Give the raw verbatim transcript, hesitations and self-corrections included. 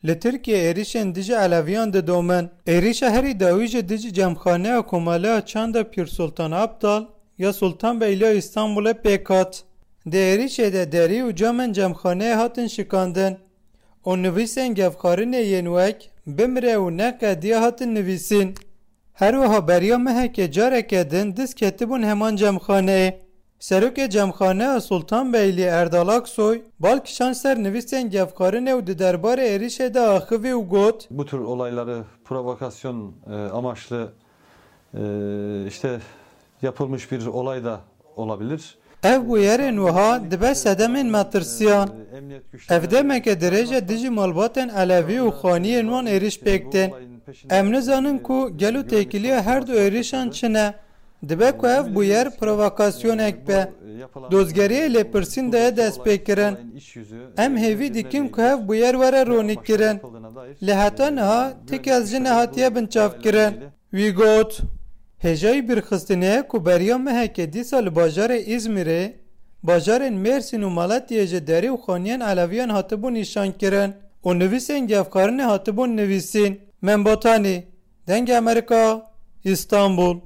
Li Tirkiyê êrişên dijî Eleviyan didomin. Êrişa herî dawî jî dijî cemxaneya Komaleya Çanda Pîr Sultan Abdal ya Sultanbeyliya Îstanbulê pêk hat. Di êrişê de derî û camên cemxaneyê hatin şikandin û nivîsên gefxarinê yên wek "Bimire" û "Neqediye" hatin nivîsîn. Her wiha beriya mehekê careke din dîs ketibûn heman cemxaneyê. Serokê cemxaneya Sultanbeylî Erdal Aksoy bal kişand ser nivîsên gefxarinê û di derbarê êrişê de axivî û got, Bu tür olayları provokasyon, e, amaçlı, e, işte yapılmış bir olay da olabilir. Ev bûyerên wiha dibe sedemên metirsiyan. Ev demeke dirêj e dijî malbatên Elevî û xaniyên wan êriş pêk tên. Em nizanin ku gelo têkiliya her du êrişan çi ne. Dibe ku ev bûyer provokasyonek be. Dozgeriyê lêpirsîn daye destpêkirin. Em hêvî dikin ku ev bûyer were ronîkirin. Lê heta niha ti kes jî nehatiye binçavkirin. Wî got, hêjayî bîrxistinê ye ku beriya mehekê dîsa li bajarê Îzmîrê, bajarên Mêrsîn û Malatiyê jî derî û xaniyên Eleviyan hatibûn nîşankirin û nivîsên gefxarinê hatibûn nivîsîn. Membatanî, Dengê Amerîka, Îstanbul.